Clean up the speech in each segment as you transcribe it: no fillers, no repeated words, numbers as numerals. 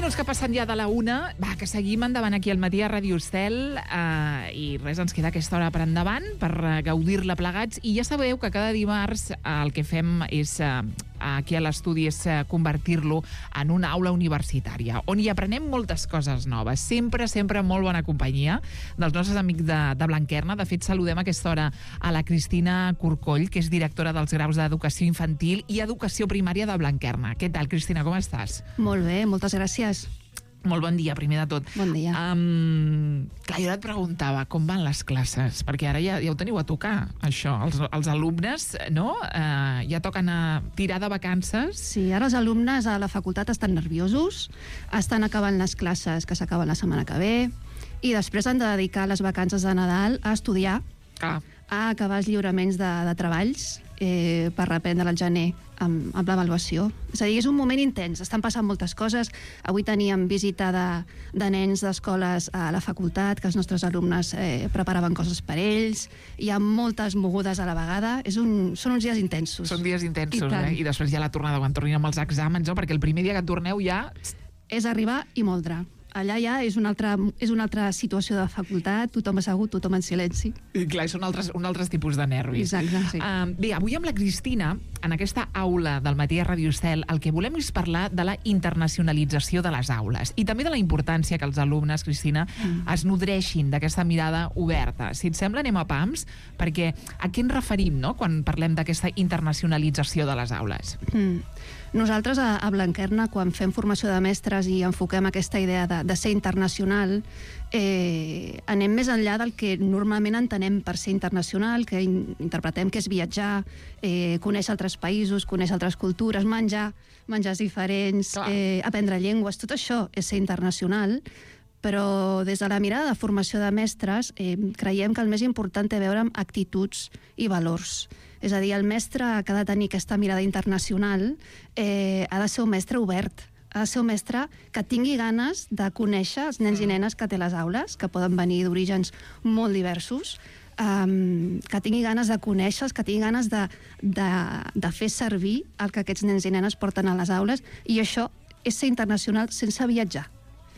minuts que passen ja de la 1. Va, que seguim endavant aquí al matí a Ràdio Estel i res, ens queda aquesta hora per endavant per gaudir-la plegats. I ja sabeu que cada dimarts el que fem és aquí a l'estudi és convertir-lo en una aula universitària, on hi aprenem moltes coses noves. Sempre, sempre molt bona companyia dels nostres amics de Blanquerna. De fet, saludem a aquesta hora a la Cristina Corcoll, que és directora dels graus d'Educació Infantil i Educació Primària de Blanquerna. Què tal, Cristina, com estàs? Molt bé, moltes gràcies. Molt bon dia, primer de tot. Bon dia. Clar, jo et preguntava com van les classes, perquè ara ja ho teniu a tocar, això. Els alumnes, no? Ja toquen a tirar de vacances. Sí, ara els alumnes a la facultat estan nerviosos, estan acabant les classes que s'acaben la setmana que ve, i després han de dedicar les vacances de Nadal a estudiar, a acabar els lliuraments de treballs per reprendre al gener amb l'avaluació. És a dir, és un moment intens, estan passant moltes coses. Avui teníem visita de nens d'escoles a la facultat, que els nostres alumnes preparaven coses per ells. Hi ha moltes mogudes a la vegada. Són uns dies intensos. Són dies intensos, I després ja la tornada, quan tornin amb els exàmens, no? Perquè el primer dia que torneu ja... És arribar i moldre. Allà ja és una altra situació de facultat, tothom assegut, tothom en silenci. I clar, són un altres tipus de nervis. Exacte, sí. Bé, avui amb la Cristina, en aquesta aula del matí a Ràdio Estel, el que volem és parlar de la internacionalització de les aules i també de la importància que els alumnes, Cristina, es nodreixin d'aquesta mirada oberta. Si et sembla, anem a pams, perquè a què ens referim, no?, quan parlem d'aquesta internacionalització de les aules? Nosaltres a Blanquerna, quan fem formació de mestres i enfoquem aquesta idea de ser internacional, anem més enllà del que normalment entenem per ser internacional, que interpretem que és viatjar, conèixer altres països, conèixer altres cultures, menjars diferents, aprendre llengües. Tot això és ser internacional, però des de la mirada de formació de mestres creiem que el més important té a veure amb actituds i valors. És a dir, el mestre que ha de tenir aquesta mirada internacional ha de ser un mestre obert, ha de ser un mestre que tingui ganes de conèixer els nens i nenes que té a les aules, que poden venir d'orígens molt diversos, que tingui ganes de conèixer-los, que tingui ganes de fer servir el que aquests nens i nenes porten a les aules, i això és ser internacional sense viatjar.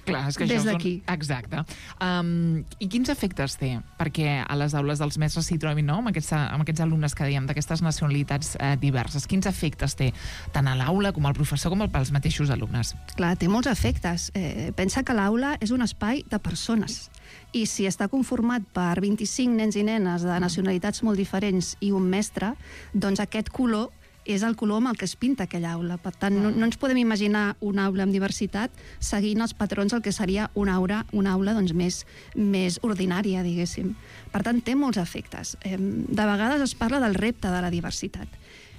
Clar, és que des d'aquí. Exacte. I quins efectes té? Perquè a les aules dels mestres s'hi trobin, no?, amb aquests alumnes que dèiem, d'aquestes nacionalitats diverses. Quins efectes té tant a l'aula com al professor com pels mateixos alumnes? Clar, té molts efectes. Pensa que l'aula és un espai de persones, i si està conformat per 25 nens i nenes de nacionalitats molt diferents i un mestre, doncs aquest color és el color amb el que es pinta aquella aula. Per tant, no ens podem imaginar una aula amb diversitat seguint els patrons del que seria una aula doncs, més ordinària, diguéssim. Per tant, té molts efectes. De vegades es parla del repte de la diversitat.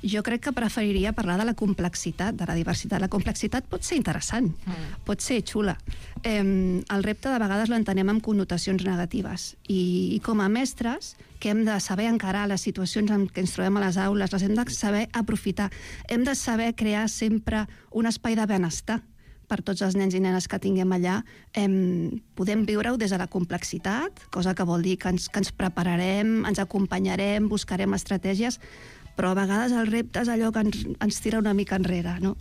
Jo crec que preferiria parlar de la complexitat de la diversitat. La complexitat pot ser interessant, pot ser xula. El repte de vegades l'entenem amb connotacions negatives, i com a mestres que hem de saber encarar les situacions en què ens trobem a les aules, les hem de saber aprofitar, hem de saber crear sempre un espai de benestar per tots els nens i nenes que tinguem allà. Podem viure-ho des de la complexitat, cosa que vol dir que ens prepararem, ens acompanyarem, buscarem estratègies, però a vegades el repte és allò que ens tira una mica enrere, no?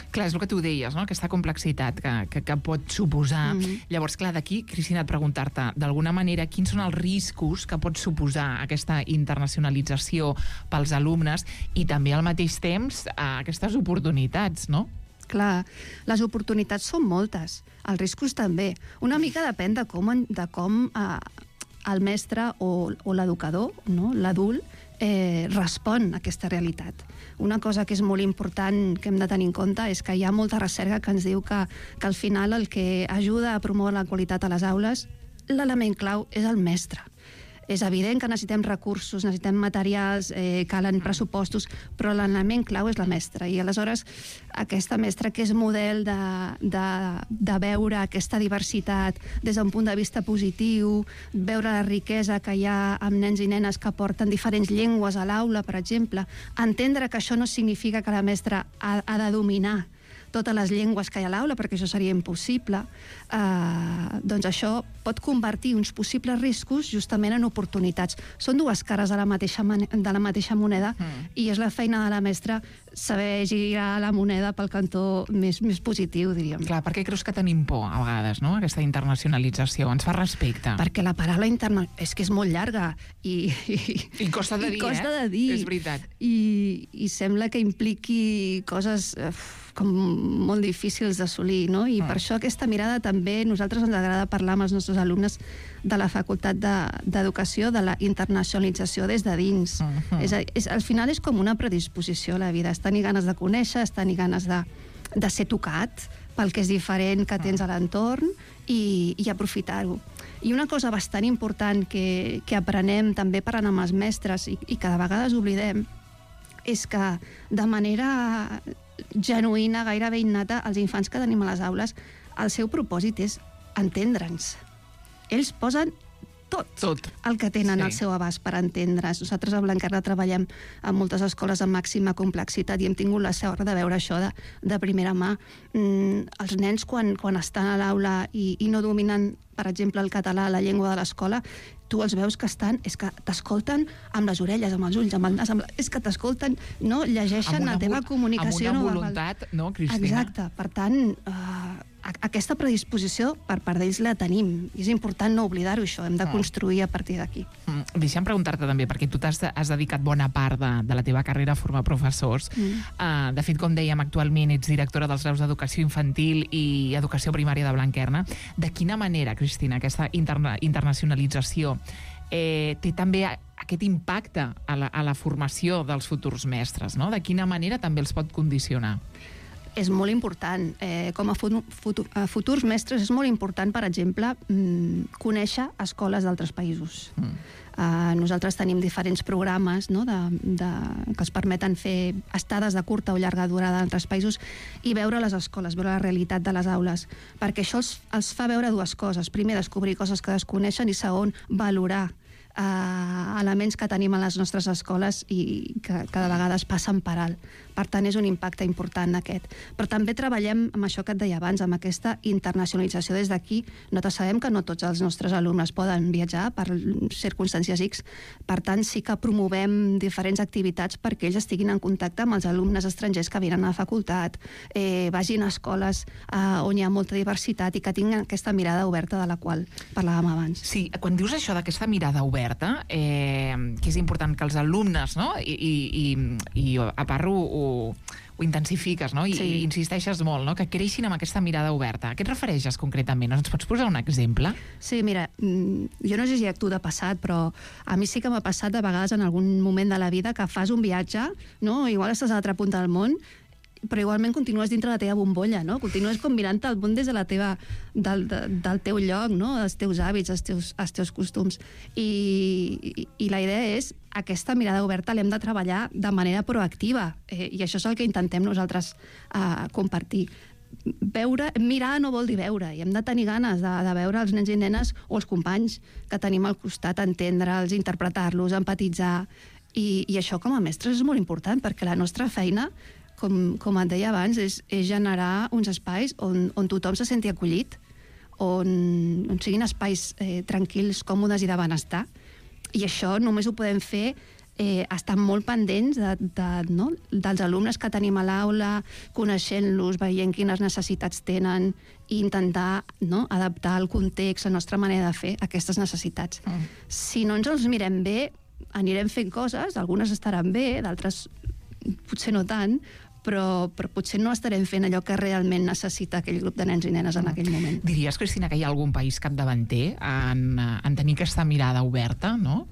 Clar, és el que tu deies, no?, aquesta complexitat que pot suposar. Llavors, clar, d'aquí, Cristina, et preguntar-te, d'alguna manera, quins són els riscos que pot suposar aquesta internacionalització pels alumnes i també al mateix temps aquestes oportunitats, no? Clar, les oportunitats són moltes, els riscos també. Una mica depèn de com el mestre o l'educador, no?, l'adult, respon a aquesta realitat. Una cosa que és molt important que hem de tenir en compte és que hi ha molta recerca que ens diu que al final el que ajuda a promoure la qualitat a les aules, l'element clau és el mestre. És evident que necessitem recursos, necessitem materials, calen pressupostos, però l'element clau és la mestra. I aleshores aquesta mestra que és model de veure aquesta diversitat des d'un punt de vista positiu, veure la riquesa que hi ha amb nens i nenes que porten diferents llengües a l'aula, per exemple, entendre que això no significa que la mestra ha de dominar totes les llengües que hi ha a l'aula, perquè això seria impossible, doncs això pot convertir uns possibles riscos justament en oportunitats. Són dues cares de la mateixa moneda, i és la feina de la mestra saber girar la moneda pel cantó més positiu, diríem. Clar, per què creus que tenim por a vegades, no?, aquesta internacionalització? Ens fa respecte. Perquè la paraula és que és molt llarga i costa de dir, costa de dir. És veritat. I sembla que impliqui coses com molt difícils d'assolir, no? I per això aquesta mirada també, nosaltres ens agrada parlar amb els nostres alumnes de la Facultat d'Educació, de la internacionalització des de dins. Al final és com una predisposició a la vida, és tenir ganes de conèixer, és tenir ganes de ser tocat pel que és diferent que tens a l'entorn i aprofitar-ho. I una cosa bastant important que aprenem també parlant amb els mestres i que de vegades oblidem és que de manera genuïna, gairebé innata, els infants que tenim a les aules, el seu propòsit és entendre'ns. Ells posen tot el que tenen al seu abast per entendre's. Nosaltres a Blanquerna treballem en moltes escoles de màxima complexitat i hem tingut la sort de veure això de primera mà. Els nens, quan estan a l'aula i no dominen, per exemple, el català, la llengua de l'escola, tu els veus que és que t'escolten amb les orelles, amb els ulls, amb el nas, és que t'escolten, no? Llegeixen la teva comunicació no verbal. Amb una voluntat, no, Cristina? Exacte. Per tant, aquesta predisposició per part d'ells la tenim. I és important no oblidar-ho, això. Hem de construir a partir d'aquí. Deixa'm preguntar-te també, perquè tu has dedicat bona part de la teva carrera a formar professors. De fet, com dèiem, actualment ets directora dels graus d'Educació Infantil i Educació Primària de Blanquerna. De quina manera, Cristina, aquesta internacionalització té també aquest impacte a la formació dels futurs mestres, no? De quina manera també els pot condicionar? És molt important. Com a futurs mestres és molt important, per exemple, conèixer escoles d'altres països. Nosaltres tenim diferents programes, no?, que els permeten fer estades de curta o llarga durada en altres països i veure les escoles, veure la realitat de les aules, perquè això els fa veure dues coses. Primer, descobrir coses que desconeixen i segon, valorar elements que tenim a les nostres escoles i que de vegades passen per alt. Per tant, és un impacte important aquest. Però també treballem amb això que et deia abans, amb aquesta internacionalització des d'aquí. Nosaltres sabem que no tots els nostres alumnes poden viatjar per circumstàncies X. Per tant, sí que promovem diferents activitats perquè ells estiguin en contacte amb els alumnes estrangers que venen a la facultat, vagin a escoles on hi ha molta diversitat i que tinguin aquesta mirada oberta de la qual parlàvem abans. Sí, quan dius això d'aquesta mirada oberta, que és important que els alumnes, no?, i a part ho intensifiques, no?, i insisteixes molt, no?, que creixin amb aquesta mirada oberta. A què et refereixes concretament? Ens pots posar un exemple? Sí, mira, jo no sé si tu de passat, però a mi sí que m'ha passat de vegades en algun moment de la vida que fas un viatge, no?, igual estàs a l'altra punta del món, però igualment continues dintre la teva bombolla, no? Continues com mirant el món des de del teu lloc, no?, els teus hàbits, els teus costums. I la idea és aquesta mirada oberta l'hem de treballar de manera proactiva i això és el que intentem nosaltres compartir. Mirar no vol dir veure i hem de tenir ganes de veure els nens i nenes o els companys que tenim al costat, entendre'ls, interpretar-los, empatitzar i això com a mestres és molt important perquè la nostra feina, com et deia abans, és generar uns espais on tothom se senti acollit, on siguin espais tranquils, còmodes i de benestar. I això només ho podem fer estant molt pendents dels alumnes que tenim a l'aula, coneixent-los, veient quines necessitats tenen i intentar adaptar el context, la nostra manera de fer aquestes necessitats. Si no ens els mirem bé, anirem fent coses, algunes estaran bé, d'altres potser no tant, però potser no estarem fent allò que realment necessita aquell grup de nens i nenes en aquell moment. Diries, Cristina, que hi ha algun país capdavanter en tenir aquesta mirada oberta, no?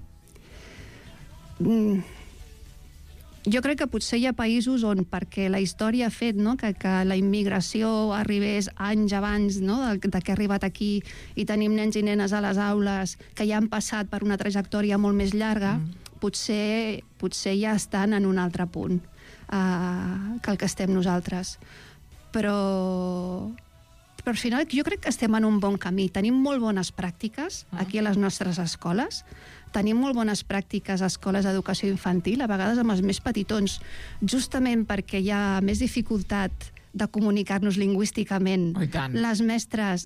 Jo crec que potser hi ha països on, perquè la història ha fet que la immigració arribés anys abans de que ha arribat aquí i tenim nens i nenes a les aules que ja han passat per una trajectòria molt més llarga, potser ja estan en un altre punt que el que estem nosaltres. Però al final jo crec que estem en un bon camí. Tenim molt bones pràctiques aquí a les nostres escoles. Tenim molt bones pràctiques a escoles d'educació infantil, a vegades amb els més petitons, justament perquè hi ha més dificultat de comunicar-nos lingüísticament. Oh, i tant. Les mestres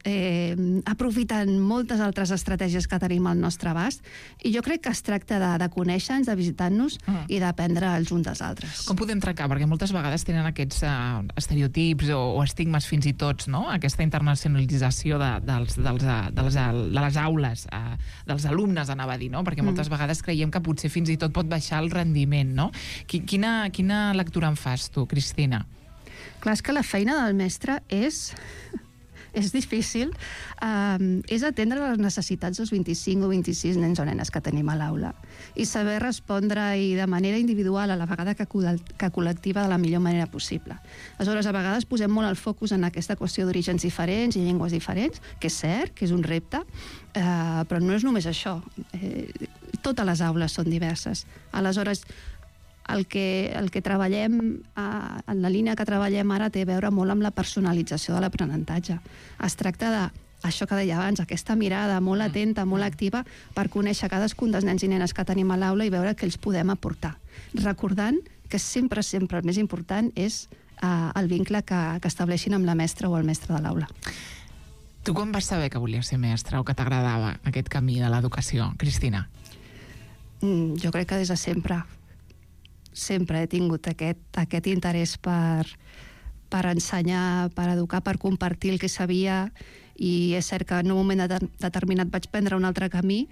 aprofiten moltes altres estratègies que tenim al nostre abast, i jo crec que es tracta de conèixer-nos, de visitar-nos i d'aprendre els uns dels altres. Com podem trencar? Perquè moltes vegades tenen aquests estereotips o estigmes fins i tots, no? Aquesta internacionalització de les aules, dels alumnes, anava a dir, no? Perquè moltes vegades creiem que potser fins i tot pot baixar el rendiment, no? Quina lectura en fas tu, Cristina? Clar, és que la feina del mestre és difícil, és atendre les necessitats dels 25 o 26 nens o nenes que tenim a l'aula i saber respondre i de manera individual, a la vegada que col·lectiva, de la millor manera possible. Aleshores, a vegades posem molt el focus en aquesta qüestió d'orígens diferents i llengües diferents, que és cert, que és un repte, però no és només això. Totes les aules són diverses. Aleshores, el que treballem, en la línia que treballem ara, té a veure molt amb la personalització de l'aprenentatge. Es tracta de això que deia abans, aquesta mirada molt atenta, molt activa, per conèixer cadascun dels nens i nenes que tenim a l'aula i veure què els podem aportar. Recordant que sempre el més important és el vincle que estableixin amb la mestra o el mestre de l'aula. Tu com vas saber que volies ser mestra o que t'agradava aquest camí de l'educació, Cristina? Jo crec que des de sempre. Sempre he tingut aquest interès per ensenyar, per educar, per compartir el que sabia, i és cert que en un moment determinat vaig prendre un altre camí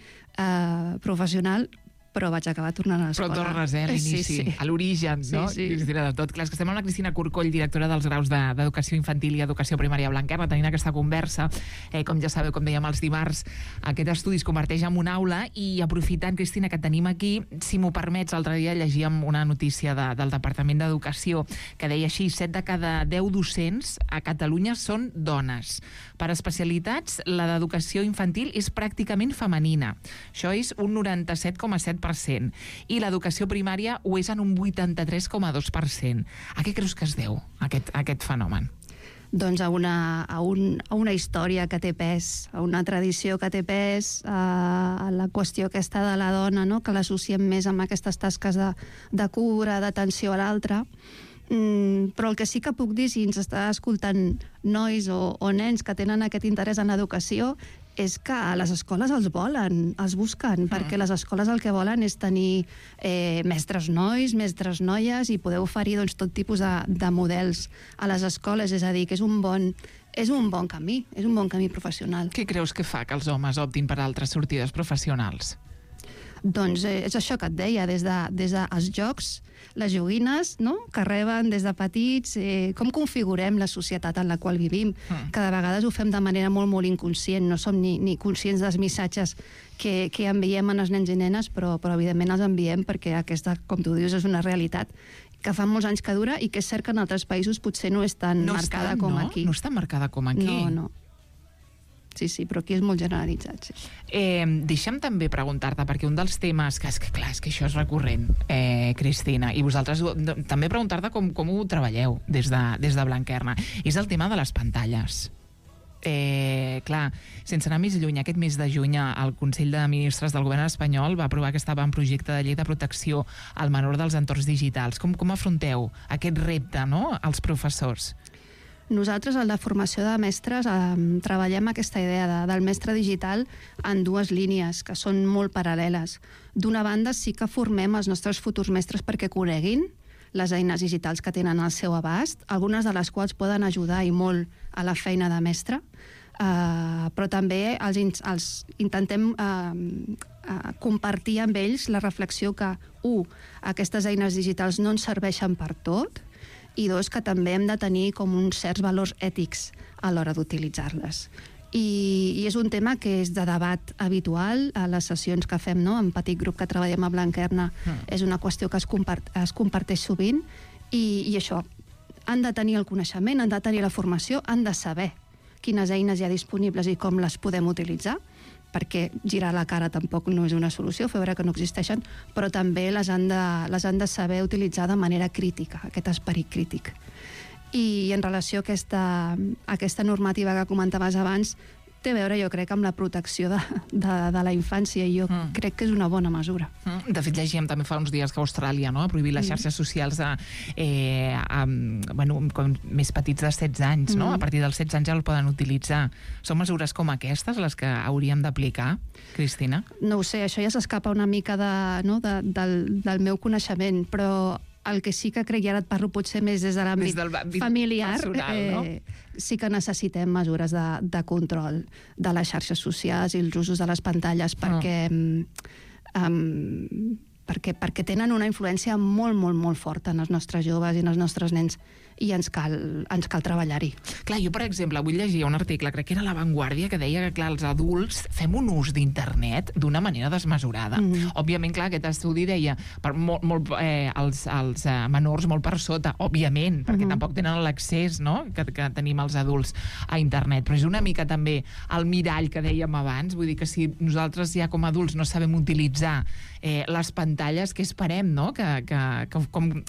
professional, però vaig acabar tornant a l'escola. Però tornes, a l'inici, a l'origen, no? Sí. Cristina, de tot. Clar, és que estem amb la Cristina Corcoll, directora dels graus d'Educació Infantil i Educació Primària a Blanquerna, tenint aquesta conversa. Com ja sabeu, com dèiem els dimarts, aquest estudi es converteix en una aula, i aprofitant, Cristina, que et tenim aquí, si m'ho permets, l'altre dia llegíem una notícia del Departament d'Educació que deia així: 7 de cada 10 docents a Catalunya són dones. Per especialitats, la d'educació infantil és pràcticament femenina. Això és un 97,7%. I l'educació primària ho és en un 83,2%. A què creus que es deu, aquest fenomen? Doncs a una història que té pes, a una tradició que té pes, a la qüestió aquesta de la dona, no? Que l'associem més amb aquestes tasques de cura, d'atenció a l'altre. Però el que sí que puc dir, si ens està escoltant nois o nens que tenen aquest interès en l'educació, és que a les escoles els volen, els busquen, perquè les escoles el que volen és tenir mestres nois, mestres noies, i poder oferir tot tipus de models a les escoles. És a dir, que és un bon camí, és un bon camí professional. Què creus que fa que els homes optin per altres sortides professionals? Doncs és això que et deia, des dels jocs, les joguines, no?, que reben des de petits, com configurem la societat en la qual vivim. Cada vegada ho fem de manera molt, molt inconscient, no som ni conscients dels missatges que enviem a els nens i nenes, però evidentment els enviem perquè aquesta, com tu dius, és una realitat que fa molts anys que dura i que és cert que en altres països potser no és tan marcada com aquí. No està marcada com aquí? No. Sí, però aquí és molt generalitzat, sí. Deixa'm també preguntar-te, perquè un dels temes que és que això és recurrent, Cristina, i vosaltres també preguntar-te com ho treballeu des de Blanquerna, és el tema de les pantalles. Clar, sense anar més lluny, aquest mes de juny el Consell de Ministres del Govern espanyol va aprovar aquest avantprojecte de llei de protecció al menor dels entorns digitals. Com afronteu aquest repte, no?, als professors? Nosaltres, a la formació de mestres, treballem aquesta idea del mestre digital en dues línies, que són molt paral·leles. D'una banda, sí que formem els nostres futurs mestres perquè coneguin les eines digitals que tenen al seu abast, algunes de les quals poden ajudar i molt a la feina de mestre, però també els intentem compartir amb ells la reflexió que, aquestes eines digitals no ens serveixen per tot, i dos, que també hem de tenir com uns certs valors ètics a l'hora d'utilitzar-les. I és un tema que és de debat habitual a les sessions que fem, no?, en petit grup que treballem a Blanquerna. És una qüestió que es comparteix sovint, i això, han de tenir el coneixement, han de tenir la formació, han de saber quines eines hi ha disponibles i com les podem utilitzar, perquè girar la cara tampoc no és una solució, fer veure que no existeixen, però també les han de saber utilitzar de manera crítica, aquest esperit crític. I en relació a aquesta normativa que comentaves abans, té a veure, jo crec, amb la protecció de la infància, i jo crec que és una bona mesura. De fet, llegíem també fa uns dies que Austràlia ha prohibit les xarxes socials com més petits de 16 anys, no? A partir dels 16 anys ja el poden utilitzar. Són mesures com aquestes les que hauríem d'aplicar, Cristina? No ho sé, això ja s'escapa una mica del meu coneixement, però el que sí que crec, i ara et parlo potser més des de l'àmbit familiar, personal, no? Sí que necessitem mesures de control de les xarxes socials i els usos de les pantalles, perquè tenen una influència molt, molt, molt forta en els nostres joves i en els nostres nens, i ens cal treballar-hi. Clar, jo, per exemple, avui llegia un article, crec que era La Vanguardia, que deia que, clar, els adults fem un ús d'internet d'una manera desmesurada. Òbviament, clar, aquest estudi deia els menors molt per sota, òbviament, perquè tampoc tenen l'accés, no?, que tenim els adults a internet. Però és una mica també el mirall que dèiem abans, vull dir que si nosaltres ja com a adults no sabem utilitzar les pantalles, què esperem, no?, que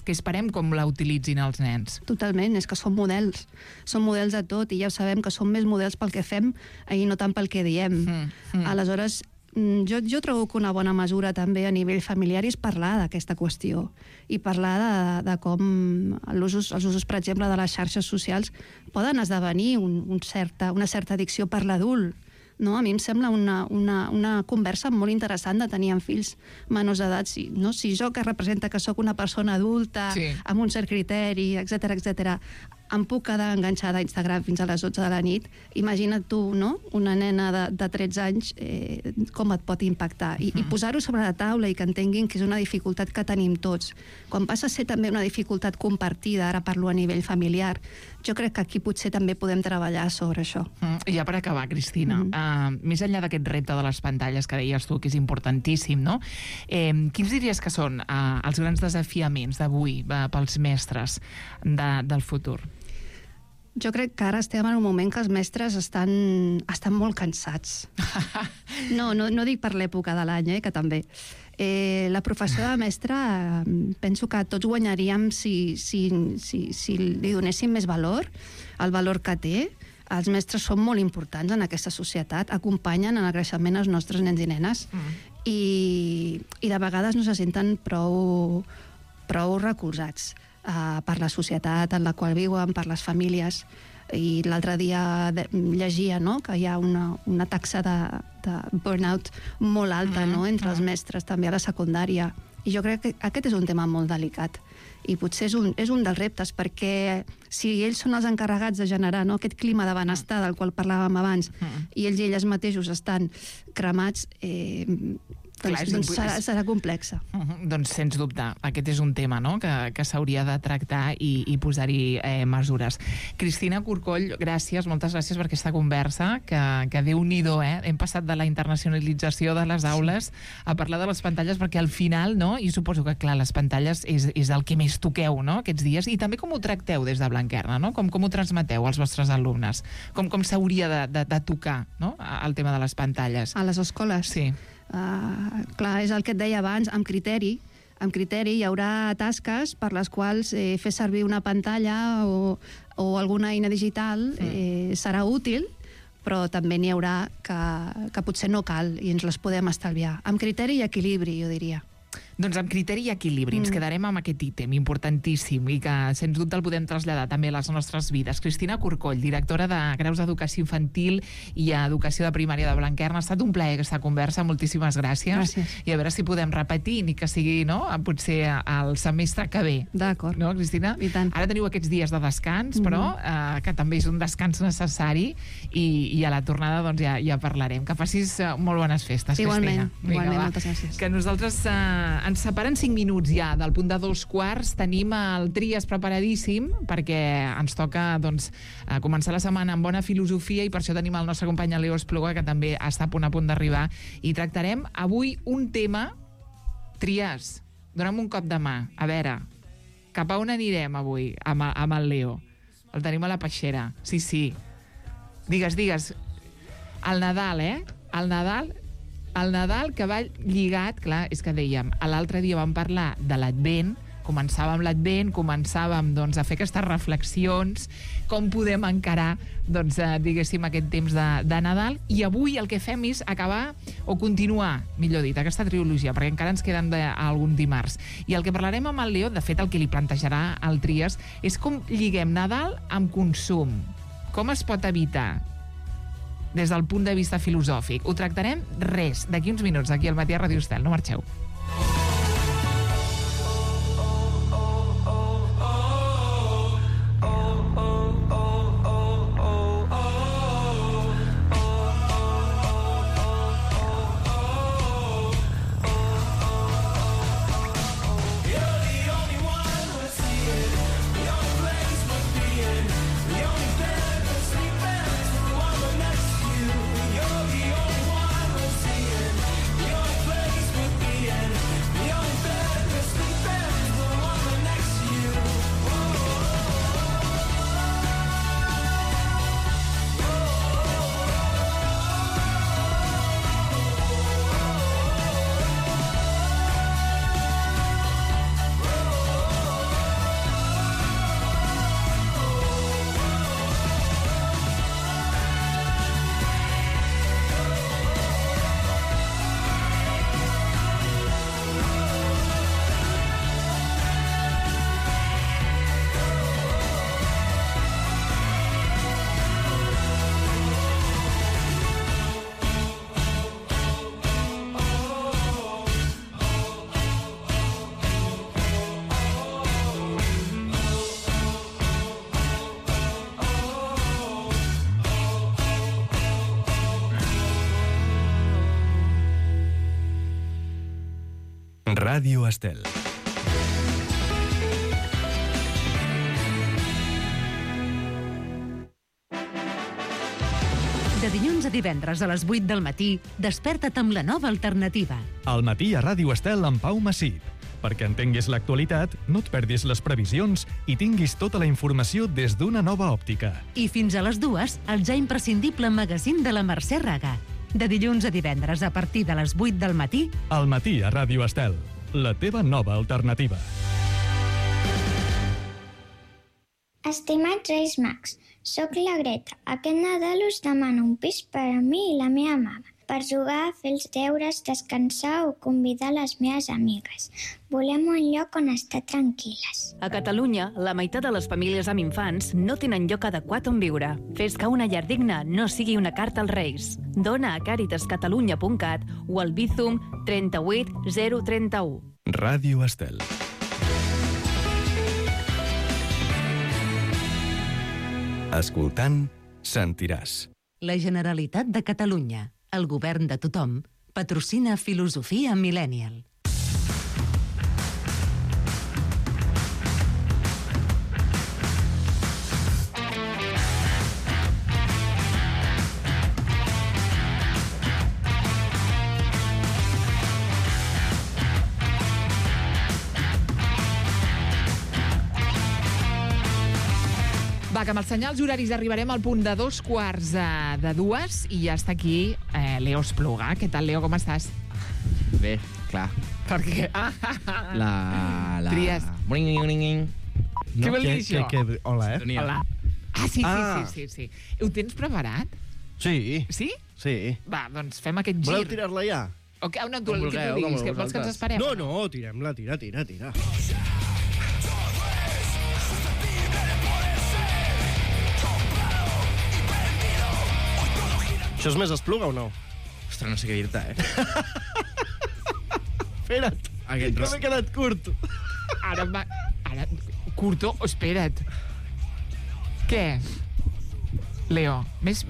esperem com la utilitzin els nens. Totalment, és que són models de tot, i ja ho sabem que són més models pel que fem i no tant pel que diem. Aleshores, jo trobo que una bona mesura també a nivell familiar és parlar d'aquesta qüestió i parlar de com els usos, per exemple, de les xarxes socials poden esdevenir una certa addicció per l'adult. No? A mi em sembla una conversa molt interessant de tenir amb fills menors d'edat. Si jo, que representa que sóc una persona adulta, amb un cert criteri, etc, em puc quedar enganxada a Instagram fins a les 12 de la nit, imagina't tu, no?, una nena de 13 anys, com et pot impactar. I posar-ho sobre la taula i que entenguin que és una dificultat que tenim tots. Quan passa a ser també una dificultat compartida, ara parlo a nivell familiar, jo crec que aquí potser també podem treballar sobre això. I ja per acabar, Cristina, més enllà d'aquest repte de les pantalles que deies tu, que és importantíssim, no? Quins diries que són els grans desafiaments d'avui pels mestres del futur? Jo crec que ara estem en un moment que els mestres estan molt cansats. No dic per l'època de l'any, que també. La professió de mestre, penso que tots guanyaríem si li donéssim més valor, el valor que té. Els mestres són molt importants en aquesta societat, acompanyen en el creixement els nostres nens i nenes, i de vegades no se senten prou recolzats per la societat en la qual viuen, per les famílies. I l'altre dia llegia, no?, que hi ha una taxa de burnout molt alta, no?, entre els mestres, també a la secundària. I jo crec que aquest és un tema molt delicat. I potser és un dels reptes, perquè si ells són els encarregats de generar, no?, aquest clima de benestar del qual parlàvem abans, i ells i elles mateixos estan cremats, doncs serà complexa. Doncs, sens dubte, aquest és un tema, no?, que s'hauria de tractar i posar-hi mesures. Cristina Corcoll, gràcies, moltes gràcies per aquesta conversa, que Déu-n'hi-do, hem passat de la internacionalització de les aules a parlar de les pantalles, perquè al final, no?, i suposo que, clar, les pantalles és el que més toqueu, no?, aquests dies, i també com ho tracteu des de Blanquerna, no?, com ho transmeteu als vostres alumnes, com s'hauria de tocar, no?, el tema de les pantalles. A les escoles? Sí. Clar, és el que et deia abans, amb criteri hi haurà tasques per les quals fer servir una pantalla o alguna eina digital serà útil, però també n'hi haurà que potser no cal i ens les podem estalviar. Amb criteri i equilibri, jo diria. Doncs amb criteri i equilibri. Ens quedarem amb aquest ítem importantíssim i que, sens dubte, el podem traslladar també a les nostres vides. Cristina Corcoll, directora de Graus d'Educació Infantil i Educació de Primària de Blanquerna. Ha estat un plaer aquesta conversa. Moltíssimes gràcies. Gràcies. I a veure si podem repetir, ni que sigui, no?, potser al semestre que ve. D'acord. No, Cristina? I tant. Ara teniu aquests dies de descans, però que també és un descans necessari i a la tornada doncs ja parlarem. Que facis molt bones festes, Cristina. Igualment, moltes gràcies. Que nosaltres ens separen 5 minuts ja del punt de 2:15. Tenim el Tries preparadíssim perquè ens toca començar la setmana amb bona filosofia, i per això tenim el nostre company Leo Espluga, que també està a punt d'arribar, i tractarem avui un tema. Tries, dona'm un cop de mà, a veure, cap a on anirem avui amb el Leo? El tenim a la peixera, sí. Digues. El Nadal, El Nadal que va lligat, clar, és que dèiem, l'altre dia vam parlar de l'Advent, començàvem l'Advent, començàvem doncs, a fer aquestes reflexions, com podem encarar doncs, diguéssim, aquest temps de Nadal, i avui el que fem és acabar o continuar, millor dit, aquesta trilogia, perquè encara ens queden algun dimarts. I el que parlarem amb el Leo, de fet el que li plantejarà el Trias, és com lliguem Nadal amb consum. Com es pot evitar des del punt de vista filosòfic? Ho tractarem d'aquí uns minuts, aquí al Matí a Ràdio Estel. No marxeu. Ràdio Estel. De dilluns a divendres a les 8 del matí, desperta't amb la nova alternativa. Al matí a Ràdio Estel amb Pau Massip. Perquè entenguis l'actualitat, no et perdis les previsions i tinguis tota la informació des d'una nova òptica. I fins a les 2, el ja imprescindible magazín de la Mercè Raga. De dilluns a divendres a partir de les 8 del matí. Al matí a Ràdio Estel. La teva nova alternativa. Estimats Reis Mags, soc la Greta. Aquest Nadal us demano un pis per a mi i la meva mama, per jugar, fer els deures, descansar o convidar les meves amigues. Volem un lloc on estar tranquil·les. A Catalunya, la meitat de les famílies amb infants no tenen lloc adequat on viure. Fes que una llar digna no sigui una carta als Reis. Dona a caritascatalunya.cat o al Bizum 38 031. Ràdio Estel. Escoltant, sentiràs. La Generalitat de Catalunya, el govern de tothom, patrocina Filosofia Millennial. Va, que amb els senyals horaris arribarem al punt de 2:15 i ja està aquí Leo Espluga. Què tal, Leo, com estàs? Bé, clar. Per què? Trias. Què vol dir això? Hola, Hola. Sí. Ho tens preparat? Sí. Sí? Sí. Va, doncs fem aquest gir. Voleu tirar-la ja? O què? No, tu, el que tu diguis, que vols que ens esperem? No, tirem-la, tira. Això és més Espluga o no? Ostres, no sé què dir-te, Espera't, que m'he quedat curt. Ara, curto, espera't. Què? Leo, més...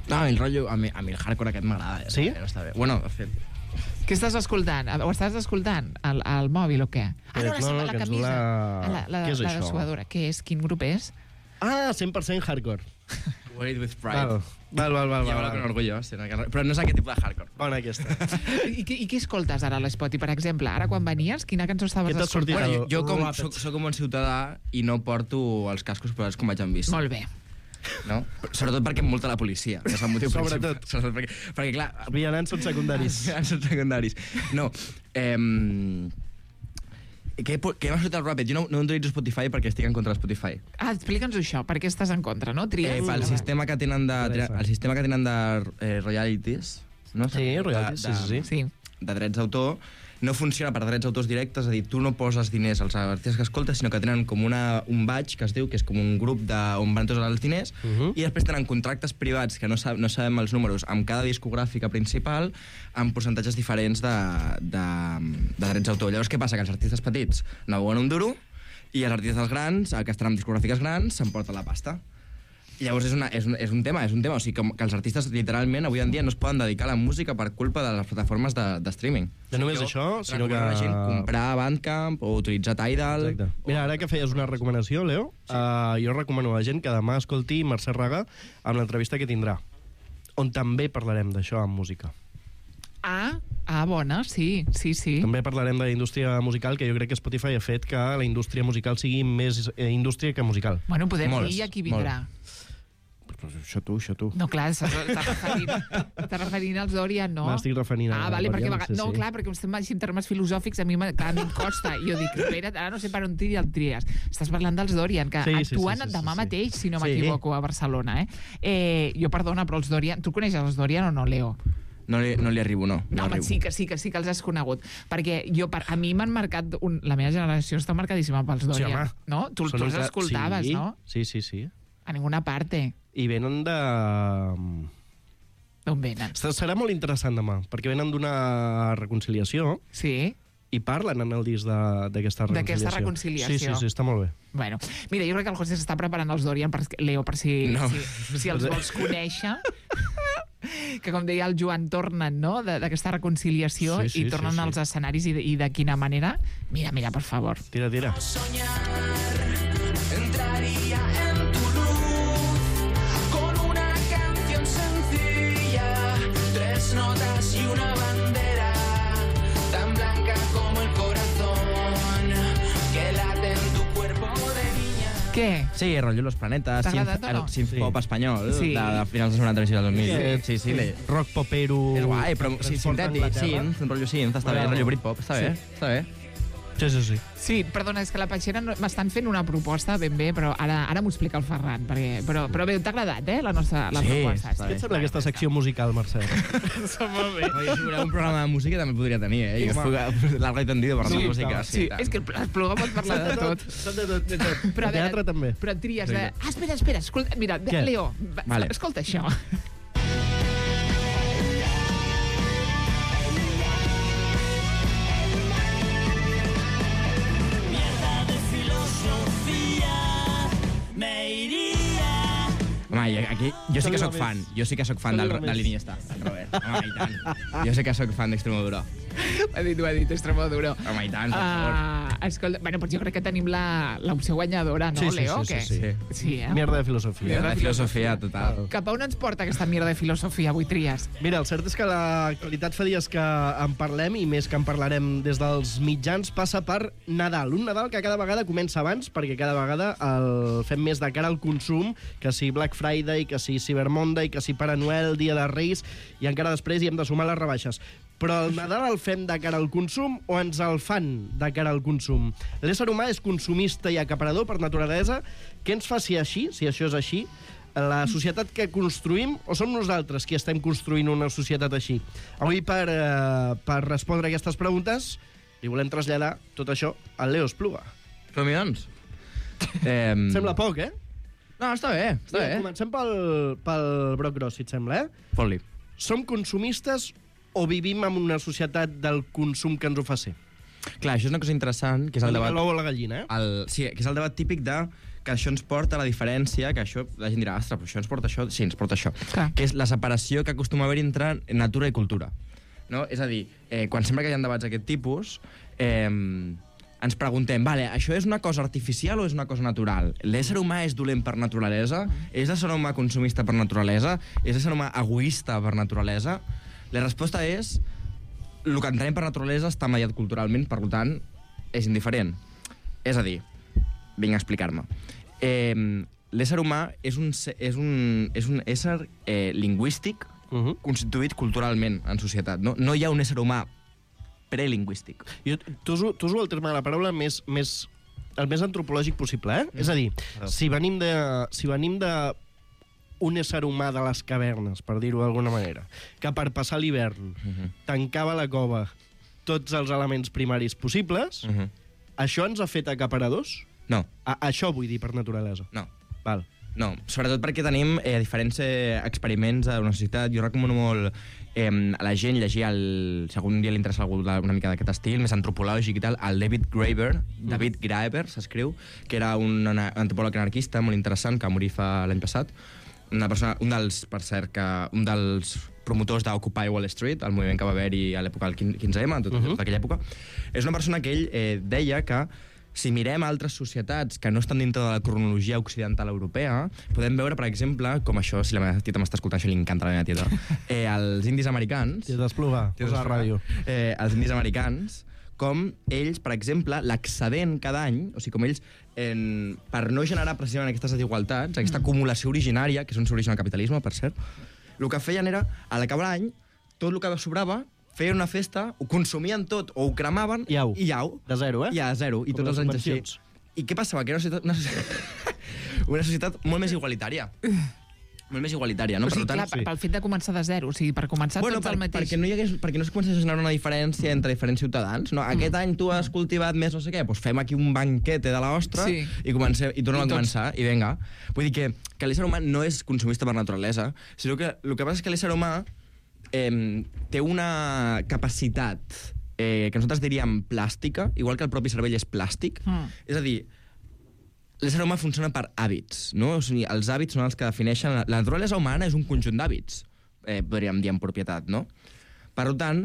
No, el rotllo... A mi el hardcore aquest m'agrada. Sí? Està bé. Bueno, de fet... Què estàs escoltant? Ho estàs escoltant? Al mòbil o què? La camisa. La dessuadora. Què és? Quin grup és? 100% hardcore. Wait with pride. Val. Jo con orgullo, però no és aquest tipus de hardcore. Bona aquesta. I què escoltes ara a l'Spotify, per exemple? Ara quan venies, quina cançó estaves escoltant? Bueno, jo soc un bon ciutadà i no porto els cascos posats com vaig en bici. Molt bé. No? Sobretot perquè em multa la policia. És el motiu principal. Sobretot. Perquè, clar... Vianants són secundaris. No. Què m'ha sortit el ràpid? Jo no utilitzo Spotify perquè estic en contra de Spotify. Explica'ns això, per què estàs en contra, no? El sistema que tenen de royalties, no? Sí, royalties, sí. De drets d'autor, no funciona per drets d'autors directes, és a dir, tu no poses diners als artistes que escoltes, sinó que tenen com un badge, que es diu, que és com un grup on van tots els diners, i després tenen contractes privats, que no sabem els números, amb cada discogràfica principal, amb percentatges diferents de drets d'autor. Llavors, què passa? Que els artistes petits no veuen un duro, i els artistes grans, que estan amb discogràfiques grans, s'emporten la pasta. Llavors és un tema, o sigui, que els artistes literalment avui en dia no es poden dedicar a la música per culpa de les plataformes de streaming. No només això, sinó que... la gent comprar Bandcamp o utilitzar Tidal... Exacte. Mira, ara que feies una recomanació, Leo, jo recomano a la gent que demà escolti Mercè Raga amb l'entrevista que tindrà, on també parlarem d'això amb música. Bona, sí. També parlarem de la indústria musical, que jo crec que Spotify ha fet que la indústria musical sigui més indústria que musical. Bueno, podem dir a qui vindrà. Això tu. No, clar, t'estàs referint als Dorian, no? M'estic referint a... vale, Dorian, perquè... No, clar, perquè estem així en termes filosòfics, a mi em costa. I jo dic, espera, ara no sé per on el tries. Estàs parlant dels Dorian, que actuen demà mateix, si no m'equivoco, a Barcelona, Jo, perdona, però els Dorian... Tu coneixes els Dorian o no, Leo? No li arribo, no. No, home, sí que els has conegut. Perquè a mi m'han marcat... La meva generació està marcadíssima pels Dorian. No? Tu els escoltaves, no? Sí. A ninguna parte. I venen de... D'on venen? Serà molt interessant demà, perquè venen d'una reconciliació. Sí. I parlen en el disc d'aquesta reconciliació. D'aquesta reconciliació. Sí, està molt bé. Bueno, mira, jo crec que el José s'està preparant els Dorian, Leo, per si els vols conèixer. Que, com deia el Joan, tornen, no?, d'aquesta reconciliació i tornen als escenaris i de quina manera. Mira, per favor. Tira. Entraría en tu luz con una canción sencilla, 3 notas y una bandera tan blanca como el corazón que late en tu cuerpo de niña. Què? Sí, rotllo Los Planetas, el synth-pop espanyol de finals dels 90 i del 2000. Sí. Rock popero... És guai, però sintètic, un rotllo synth, està bé, rotllo Britpop, està bé. Sí. Sí, perdona, és que la Patxera m'estan fent una proposta ben bé, però ara m'ho explica el Ferran. Però bé, t'ha agradat, la nostra proposta? Què et sembla aquesta secció musical, Mercè? Molt bé. Si voleu un programa de música també podria tenir, Jo largo i tendido per la música. Sí, és que el Espluga pot parlar de tot. De teatre també. Però et tries de... Espera, escolta, mira, Leo, escolta això. Home, aquí jo sí que sóc fan de l'Iniesta, del Robert. Home, i tant. Jo sí que sóc fan d'Extremadura. Ho ha dit, Extremadura. Home, i tant, per favor. Escolta, doncs jo crec que tenim l'opció guanyadora, no, Leo? Sí. Mierda de filosofia. Mierda de filosofia, total. Cap a on ens porta aquesta mierda de filosofia avui, Tries? Mira, el cert és que l'actualitat fa dies que en parlem, i més que en parlarem des dels mitjans, passa per Nadal. Un Nadal que cada vegada comença abans, perquè cada vegada el fem més de cara al consum, que si Black Friday, que si Cyber Monday, que si Pare Noel, Dia de Reis, i encara després hi hem de sumar les rebaixes. Però el Nadal el fem de cara al consum o ens el fan de cara al consum? L'ésser humà és consumista i acaparador per naturalesa. Què ens fa si això és així? La societat que construïm o som nosaltres qui estem construint una societat així? Avui, per respondre a aquestes preguntes, li volem traslladar tot això al Leo Espluga. Som-hi, doncs. Sembla poc, No, està bé. Comencem pel broc gros, si et sembla, Fot-li. Som consumistes o vivim en una societat del consum que ens ho fa ser? Clar, això és una cosa interessant, que és el debat... L'ou o la gallina, Sí, que és el debat típic de que això ens porta a la diferència, que això, la gent dirà, ostres, però això ens porta això? Sí, ens porta això. Clar. Que és la separació que acostuma a haver entre natura i cultura. No? És a dir, quan sempre que hi ha debats d'aquest tipus, ens preguntem, vale, això és una cosa artificial o és una cosa natural? L'ésser humà és dolent per naturalesa? És l'ésser humà consumista per naturalesa? És l'ésser humà egoista per naturalesa? La resposta és, el que entenem per naturalesa està mediat culturalment, per tant, és indiferent. És a dir, vinc a explicar-me. L'ésser humà és un ésser lingüístic constituït culturalment en societat. No hi ha un ésser humà prelingüístic. T'uso el terme de la paraula el més antropològic possible, eh? És a dir, si venim de un ésser humà de les cavernes, per dir-ho d'alguna manera, que per passar l'hivern tancava la cova tots els elements primaris possibles, això ens ha fet acaparadors? No. Això vull dir per naturalesa. No. Val. No, sobretot perquè tenim diferents experiments de la societat. Jo recomano molt a la gent llegir, si algun dia li interessa algú una mica d'aquest estil, més antropològic i tal, el David Graeber s'escriu, que era un antropòleg anarquista molt interessant, que va morir l'any passat. Una persona, un dels promotors d'Occupy Wall Street, el moviment que va haver-hi a l'època del 15M, tota aquella època. És una persona que ell deia que si mirem altres societats que no estan dintre de la cronologia occidental europea, podem veure, per exemple, com això, si la meva tieta m'està escoltant, això li encanta a la meva tieta, els indis americans... Tieta Espluga, posa la ràdio. Els indis americans, com ells, per exemple, l'excedent cada any, o sigui, com ells, per no generar precisament aquestes desigualtats, aquesta acumulació originària, que és on s'origina el capitalisme, per cert, el que feien era, a l'acabar l'any, tot el que sobrava, feien una festa, ho consumien tot, o ho cremaven, i au. De zero, eh? Ja, de zero, i com tots els anys així. I què passava? Que era una societat molt més igualitària. Molt més igualitària, no? O sigui, clar, pel fet de començar de zero, o sigui, per començar tots el mateix... Perquè no es comença a generar una diferència entre diferents ciutadans, no? Aquest any tu has cultivat més no sé què, doncs fem aquí un banquete de l'ostra i tornem a començar, i vinga. Vull dir que l'ésser humà no és consumista per naturalesa, sinó que el que passa és que l'ésser humà té una capacitat que nosaltres diríem plàstica, igual que el propi cervell és plàstic. És a dir, l'ésser humà funciona per hàbits, no? O sigui, els hàbits són els que defineixen... La naturalesa humana és un conjunt d'hàbits, podríem dir en propietat, no? Per tant,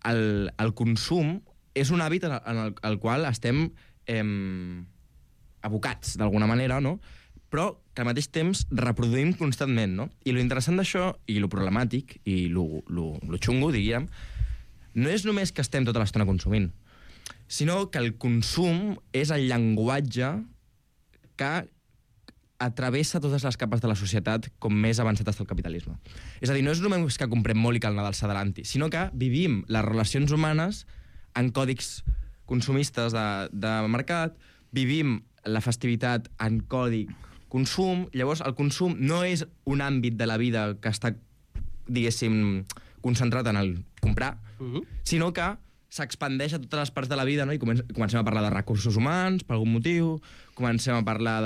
el consum és un hàbit en el qual estem abocats, d'alguna manera, no? Però que al mateix temps reproduïm constantment, no? I lo interessant d'això, i lo problemàtic, i lo xungo, diríem, no és només que estem tota l'estona consumint, sinó que el consum és el llenguatge que atravessa totes les capes de la societat com més avançat està el capitalisme. És a dir, no és només que comprem molt i que el Nadal s'adelanti, sinó que vivim les relacions humanes en còdics consumistes de mercat, vivim la festivitat en codi consum. Llavors, el consum no és un àmbit de la vida que està, diguéssim, concentrat en el comprar, sinó que s'expandeix a totes les parts de la vida, no? I comencem a parlar de recursos humans, per algun motiu, comencem a parlar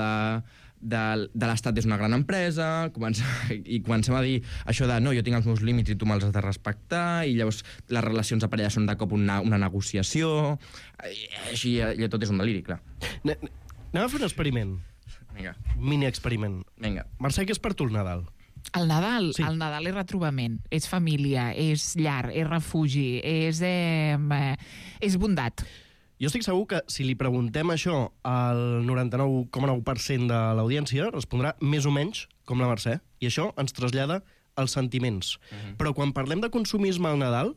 de l'Estat és una gran empresa, i comencem a dir això de no, jo tinc els meus límits i tu me'ls has de respectar, i llavors les relacions de parella són de cop una negociació, i així tot és un deliri, clar. Anem a fer un experiment. Vinga. Mini-experiment. Vinga. Mercè, què és per tu el Nadal? El Nadal? Sí. El Nadal és retrobament, és família, és llar, és refugi, és bondat. Jo estic segur que si li preguntem això al 99,9% de l'audiència, respondrà més o menys com la Mercè. I això ens trasllada als sentiments. Però quan parlem de consumisme al Nadal,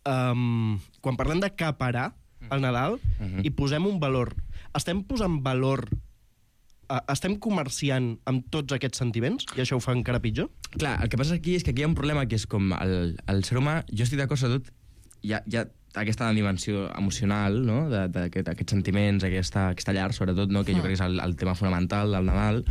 quan parlem d'acaparar al Nadal, hi posem un valor. Estem posant valor... Estem comerciant amb tots aquests sentiments i això ho fa encara pitjor? Clar, el que passa aquí és que aquí hi ha un problema que és com el ser humà, jo estic d'acord sobretot, hi ha aquesta dimensió emocional, no? d'aquests sentiments, aquesta llar, sobretot, no? Que jo crec que és el tema fonamental del Nadal,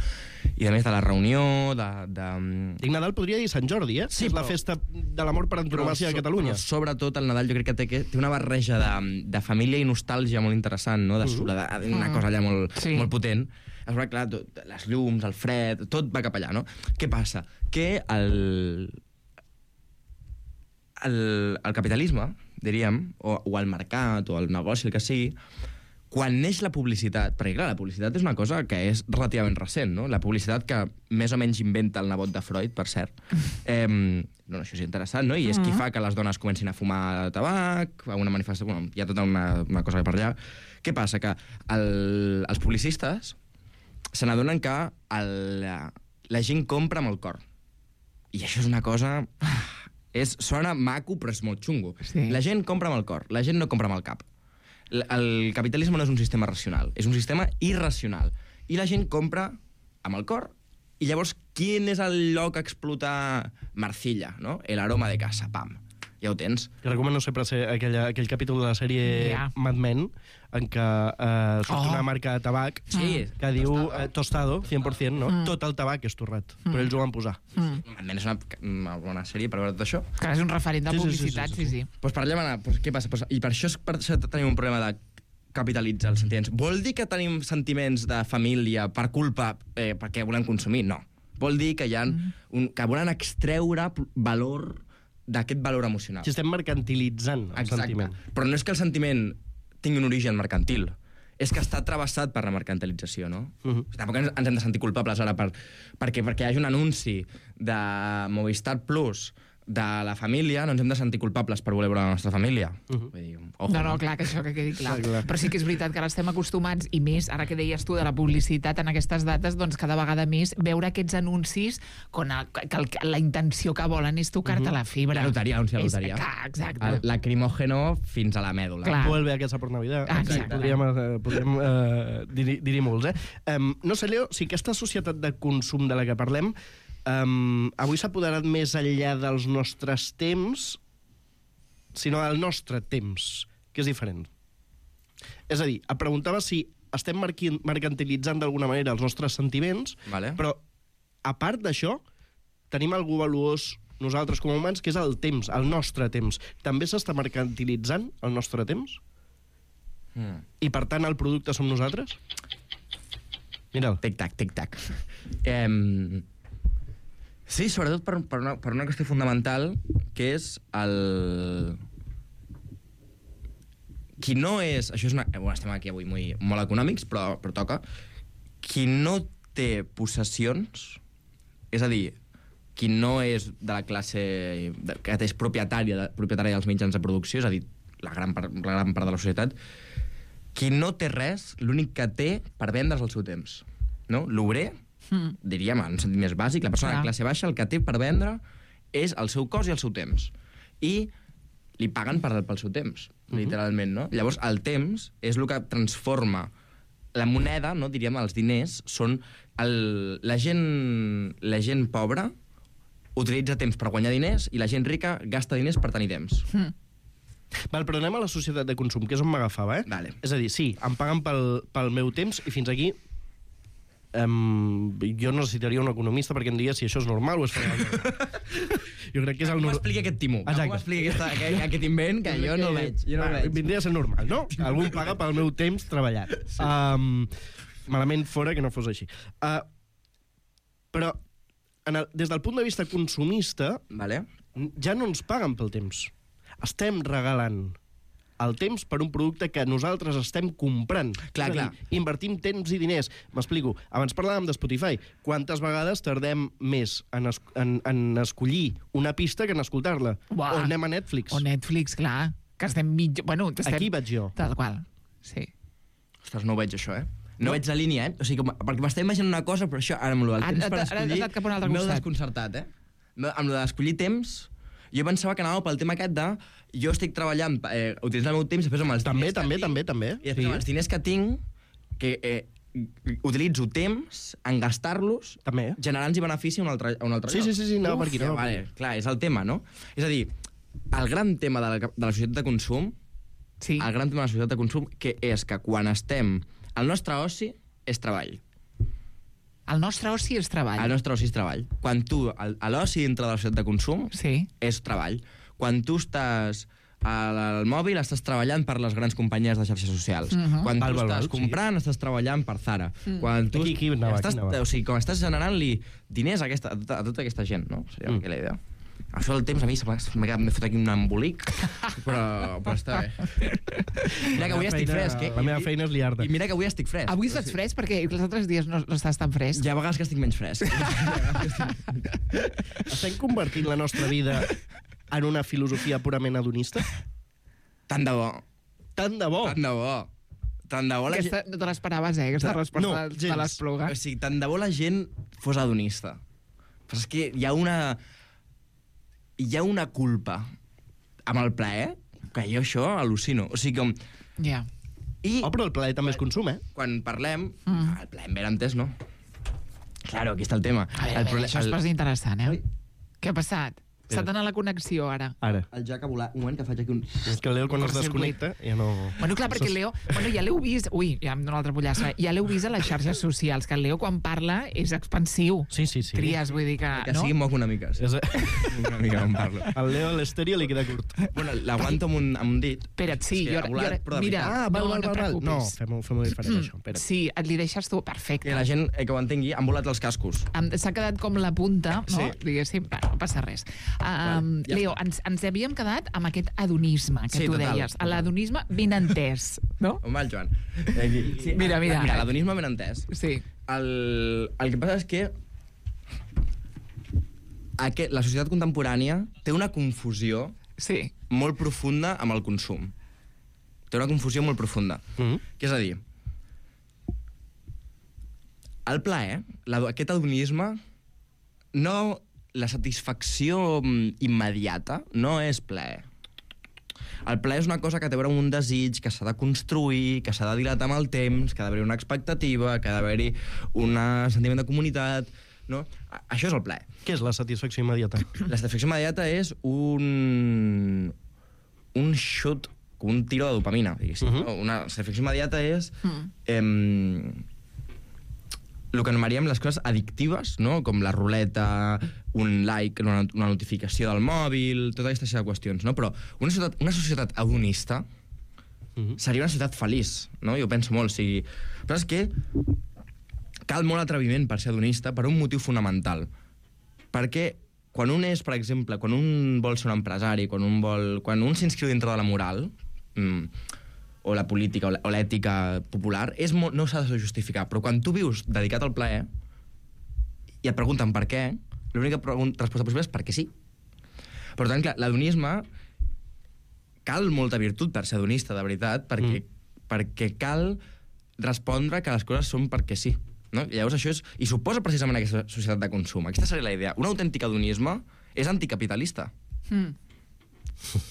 i a més de la reunió, Dic Nadal podria dir Sant Jordi, eh? Sí, és la festa de l'amor per antonomàsia a Catalunya. Però sobretot el Nadal jo crec que té una barreja de família i nostàlgia molt interessant, no? De soledat, una cosa allà molt potent. És clar, les llums, el fred, tot va cap allà, no? Què passa? Que el capitalisme, diríem, o el mercat, o el negoci, el que sigui, quan neix la publicitat, perquè clar, la publicitat és una cosa que és relativament recent, no? La publicitat que més o menys inventa el nebot de Freud, per cert. No, això és interessant, no? I és qui fa que les dones comencin a fumar tabac, a una manifestació... Bueno, hi ha tota una cosa per allà. Què passa? Que els publicistes se n'adonen que la gent compra amb el cor. I això és una cosa... Sona maco, però és molt xungo. Sí. La gent compra amb el cor, la gent no compra amb el cap. El capitalisme no és un sistema racional, és un sistema irracional. I la gent compra amb el cor. I llavors, quin és el lloc a explotar? Marcilla, no? El aroma de casa, pam. ja ho tens. Jo recomano sempre aquell capítol de la sèrie Mad Men en què surt una marca de tabac que diu tostado, 100%, no? Tot el tabac és torrat, però ells ho van posar. Mad Men és una bona sèrie per veure tot això. Que és un referent de publicitat, sí. Doncs parlem ara, què passa? I per això tenim un problema de capitalitzar els sentiments. Vol dir que tenim sentiments de família per culpa perquè volem consumir? No. Vol dir que que volen extreure valor d'aquest valor emocional. Si estem mercantilitzant el sentiment. Però no és que el sentiment tingui un origen mercantil, és que està travessat per la mercantilització, no? Tampoc ens hem de sentir culpables ara perquè hi hagi un anunci de Movistar Plus de la família, no ens hem de sentir culpables per voler veure la nostra família. Vull dir, no, clar, que això que quedi clar. Però sí que és veritat que ara estem acostumats, i més, ara que deies tu de la publicitat en aquestes dates, doncs cada vegada més veure aquests anuncis que la intenció que volen és tocar-te la fibra. La loteria, anunci de loteria. Exacte. El lacrimògeno fins a la mèdula. Clar. Vuelve a casa per Navidad. Podríem dir-hi molts, No sé, Leo, si aquesta societat de consum de la que parlem avui s'ha apoderat més enllà dels nostres temps, sinó del nostre temps, que és diferent. És a dir, et preguntava si estem mercantilitzant d'alguna manera els nostres sentiments, però, a part d'això, tenim algú valuós nosaltres com a humans, que és el temps, el nostre temps. També s'està mercantilitzant el nostre temps? I, per tant, el producte som nosaltres? Mira'l. Tic-tac, tic-tac. Sí, sobretot per una qüestió fundamental, que és el... Qui no és... Això és una... Bueno, estem aquí avui molt econòmics, però toca. Qui no té possessions, és a dir, qui no és de la classe que és propietària dels mitjans de producció, és a dir, la gran part de la societat, qui no té res, l'únic que té per vendre's el seu temps. No? L'obrer, diríem, en un sentit més bàsic, la persona de classe baixa, el que té per vendre és el seu cos i el seu temps. I li paguen pel seu temps, literalment, no? Llavors, el temps és el que transforma la moneda, no? Diríem, els diners, són... La gent pobra utilitza temps per guanyar diners i la gent rica gasta diners per tenir temps. Val, però anem a la societat de consum, que és on m'agafava, Vale. És a dir, sí, em paguen pel meu temps i fins aquí jo necessitaria un economista perquè em diria si això és normal o és fora normal. Jo crec que és el normal. No m'expliqui aquest timó. No m'expliqui aquest invent que jo no el veig. Vindria a ser normal, no? Algú em paga pel meu temps treballat. Malament fora que no fos així. Però des del punt de vista consumista ja no ens paguen pel temps. Estem regalant el temps per un producte que nosaltres estem comprant. Clar. Invertim temps i diners. M'explico. Abans parlàvem de Spotify. Quantes vegades tardem més en escollir una pista que en escoltar-la? O anem a Netflix. O Netflix, clar. Que estem Aquí vaig jo. Tal qual, sí. Ostres, no ho veig, això, No veig la línia, O sigui, perquè m'estic imaginant una cosa, però això, ara amb el temps per escollir... M'heu desconcertat, Amb el d'escollir temps... Jo pensava que anava pel tema aquest de... Jo estic treballant, utilitzant el meu temps, i després amb els diners També. I després amb els diners que tinc, que utilitzo temps en gastar-los, generant-hi benefici a un altre lloc. Sí, anava per aquí. Clar, és el tema, no? És a dir, el gran tema de la societat de consum, que és que quan estem... El nostre oci és treball. El nostre oci és treball. El nostre oci és treball. Quan tu, l'oci dintre de la societat de consum, és treball. Quan tu estàs al mòbil, estàs treballant per les grans companyies de xarxes socials. Quan tu estàs comprant, estàs treballant per Zara. Quan tu estàs generant-li diners a tota aquesta gent, no? Seria la idea. Això del temps, a mi m'he fet aquí un embolic, però està bé. Mira que avui estic fresc, La meva feina és liar-te. I mira que avui estic fresc. Avui estàs fresc perquè els altres dies no estàs tan fresc. Hi ha vegades que estic menys fresc. Estem convertint la nostra vida en una filosofia purament hedonista? Tant de bo. Tant de bo? Tant de bo la gent... No te l'esperaves, aquesta resposta de l'Espluga. O sigui, tant de bo la gent fos hedonista. Però és que hi ha una culpa amb el plaer, que jo això al·lucino. O sigui, com... Ja. Però el plaer també es consum, Quan parlem... El plaer ben entès, no? Claro, aquí està el tema. Això és pas interessant, Què ha passat? S'ha d'anar la connexió, ara. Ara. El Jack ha volat. Un moment que faig aquí un... És que el Leo, quan es desconnecta, ja no... Bueno, clar, perquè el Leo... Bueno, ja l'heu vist... Ui, ja em dóna l'altra pollassa. Ja l'heu vist a les xarxes socials, que el Leo, quan parla, és expansiu. Sí. Tries, vull dir que... Que sigui moc una mica. Sí. Una mica on parlo. El Leo a l'estèria li queda curt. Bueno, l'aguanto amb un dit. Espera't, sí. És que ha volat, però de mira, veritat. val. et preocupis. No, fem-ho diferent, això. Espera't. Sí, et li deixes tu. Perfecte. Que la gent que ho entengui, han volat els cascos. S'ha quedat com la punta, no? Sí. Diguéssim, no passa res. Ja Leo, ens havíem quedat amb aquest adonisme que Sí, tu total, deies. total. L'adonisme ben entès, no? On va el Joan? Sí, Mira. Mira, l'adonisme ben entès. Sí. El que passa és que la societat contemporània té una confusió Sí. molt profunda amb el consum. Té una confusió molt profunda. Que és a dir, el plaer, aquest hedonisme, no, la satisfacció immediata no és plaer. El plaer és una cosa que té a veure amb un desig, que s'ha de construir, que s'ha de dilatar amb el temps, que ha d'haver una expectativa, que ha d'haver-hi un sentiment de comunitat, no? Això és el plaer. Què és la satisfacció immediata? La satisfacció immediata és un shoot, com un tiro de dopamina, diguéssim. No? Una satisfacció immediata és el que anomenaríem les coses addictives, no? Com la ruleta, un like, una notificació del mòbil, tota aquesta sèrie de qüestions, no? Però una societat hedonista seria una societat feliç, no? Jo penso molt, o sigui... Però és que cal molt atreviment per ser hedonista per un motiu fonamental. Perquè quan un és, per exemple, quan un vol ser un empresari, quan un s'inscriu dintre de la moral, o la política o l'ètica popular, no s'ha de justificar. Però quan tu vius dedicat al plaer i et pregunten per què, l'única resposta possible és perquè sí. Per tant, clar, l'hedonisme cal molta virtut per ser hedonista, de veritat, perquè cal respondre que les coses són perquè sí. No? I llavors això és... I suposa precisament aquesta societat de consum. Aquesta seria la idea. Un autèntic hedonisme és anticapitalista.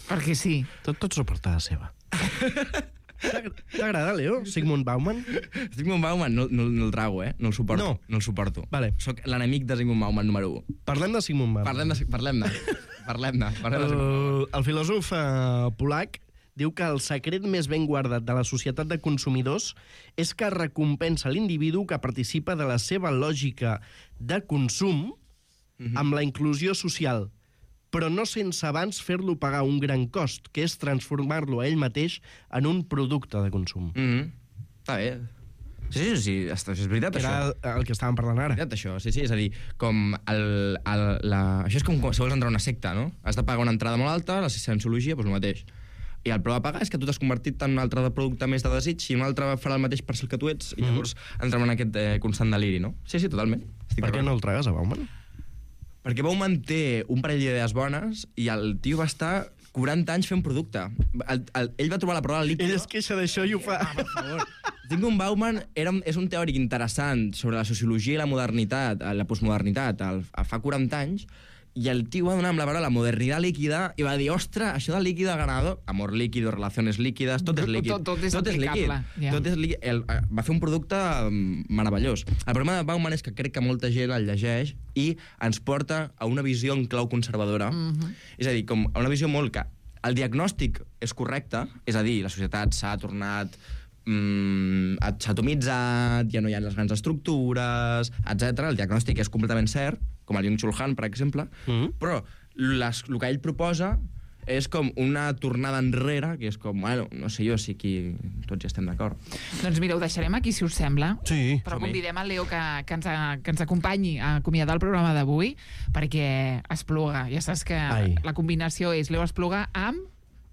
Perquè sí. Tot s'ho porta a seva. T'agrada, Leo? Sigmund Bauman? Sigmund Bauman no el trago, no el suporto. No el suporto. Vale. Soc l'enemic de Sigmund Bauman número 1. Parlem de Sigmund Bauman. Parlem-ne. El filòsof polac diu que el secret més ben guardat de la societat de consumidors és que recompensa l'individu que participa de la seva lògica de consum amb la inclusió social, però no sense abans fer-lo pagar un gran cost, que és transformar-lo a ell mateix en un producte de consum. Està bé. Sí, és veritat, això. Era el que estàvem parlant ara. És veritat, això. Sí, és a dir, com això és com si vols entrar a una secta, no? Has de pagar una entrada molt alta, la cienciologia, doncs el mateix. I el preu a pagar és que tu t'has convertit en un altre producte més de desig i un altre farà el mateix per ser el que tu ets, i llavors entrem en aquest constant deliri, no? Sí, totalment. Per què no el tragues a Bauman? Perquè Bauman té un parell d'idees bones i el tio va estar 40 anys fent producte. Ell va trobar la prova líquida... Ell es queixa d'això i ho fa. Per favor. Sigmund Bauman és un teòric interessant sobre la sociologia i la modernitat, la postmodernitat, fa 40 anys, i el tio va donar amb la paraula la modernitat líquida i va dir, ostres, això del líquido ganado, amor líquido, relaciones líquides, tot és líquid. Tot és aplicable. Tot és líquid. Va fer un producte meravellós. El problema de Bauman és que crec que molta gent el llegeix i ens porta a una visió en clau conservadora. És a dir, com a una visió molt que el diagnòstic és correcte, és a dir, la societat s'ha tornat s'ha atomitzat, ja no hi ha les grans estructures, etc. El diagnòstic és completament cert, com el Byung-Chul Han, per exemple, però el que ell proposa és com una tornada enrere, que és com, bueno, no sé jo, si aquí tots ja estem d'acord. Doncs mira, ho deixarem aquí, si us sembla. Sí. Però convidem el Leo que ens acompanyi a acomiadar el programa d'avui, perquè Espluga. Ja saps que la combinació és Leo Espluga amb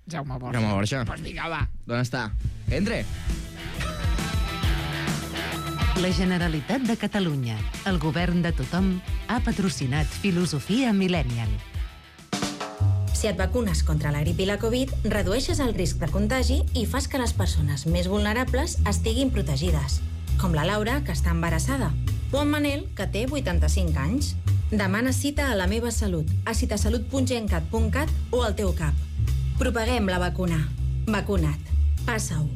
Jaume Borja. Jaume Borja. Doncs vinga, va. D'on està? Entre! La Generalitat de Catalunya, el govern de tothom, ha patrocinat Filosofia Millennial. Si et vacunes contra la grip i la Covid, redueixes el risc de contagi i fas que les persones més vulnerables estiguin protegides, com la Laura, que està embarassada, o en Manel, que té 85 anys. Demana cita a La Meva Salut, a citasalut.gencat.cat o al teu CAP. Propaguem la vacuna. Vacuna't. Passa-ho.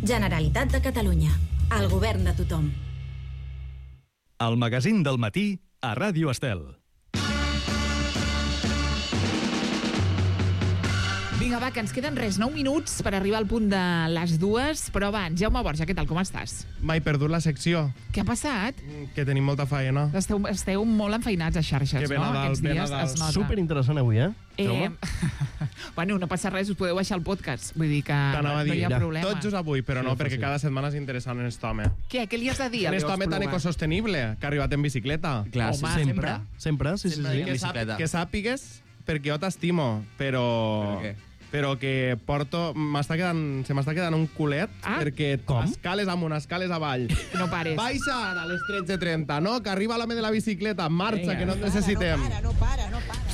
Generalitat de Catalunya. El govern de tothom. El magazín del matí a Ràdio Estel. Vinga, va, que ens queden 9 minuts per arribar al punt de les 2, però abans, Jaume Borja, què tal, com estàs? M'he perdut la secció. Què ha passat? Que tenim molta feina. Esteu molt enfeinats a xarxes, Que ve no? Nadal, Aquests ve dies Nadal. es nota. Superinteressant avui, Bueno, no passa res, us podeu baixar el podcast. Vull dir que T'anava a no dir, hi ha problema. tot just avui, però no, perquè cada setmana és interessant en aquest home. Què li has de dir a En aquest Leo home tan Espluga? ecosostenible, que ha arribat en bicicleta. Clar, Home, Sempre, sí. en bicicleta. Que sàpigues perquè jo t'estimo, però... Però què? Però que porto... Se m'està quedant un culet, perquè escales amunt, escales avall. No pares. Baixa ara a les 13:30, no? Que arriba l'home de la bicicleta, marxa, que no et necessitem.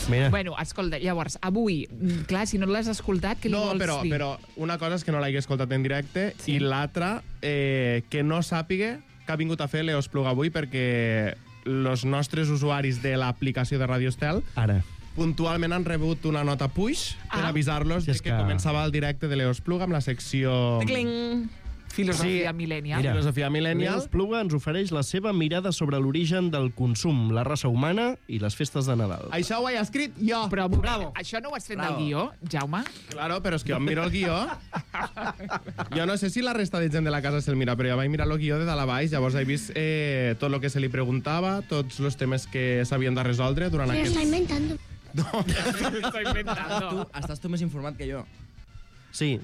Mira. Bueno, escolta, llavors, avui, clar, si no l'has escoltat, què li No, vols dir? però una cosa és que no l'hagi escoltat en directe i l'altra, que no sàpiga que ha vingut a fer Leo Espluga avui, perquè els nostres usuaris de l'aplicació de Radio Estel Ara. puntualment han rebut una nota puix per avisar-los de que començava el directe de Leo Espluga amb la secció... Filosofia millennial. Mira. Filosofia millennial. Leo Espluga ens ofereix la seva mirada sobre l'origen del consum, la raça humana i les festes de Nadal. Això ho he escrit jo. Però, bravo. Això no ho has fet del guió, Jaume? Claro, però és que jo em miro el guió. Jo no sé si la resta de gent de la casa se'l mira, però jo vaig mirar el guió de dalt a baix, llavors he vist tot el que se li preguntava, tots els temes que s'havien de resoldre durant Se lo aquest... está inventando. Estoy inventando. Estàs tu més informat que jo. Sí,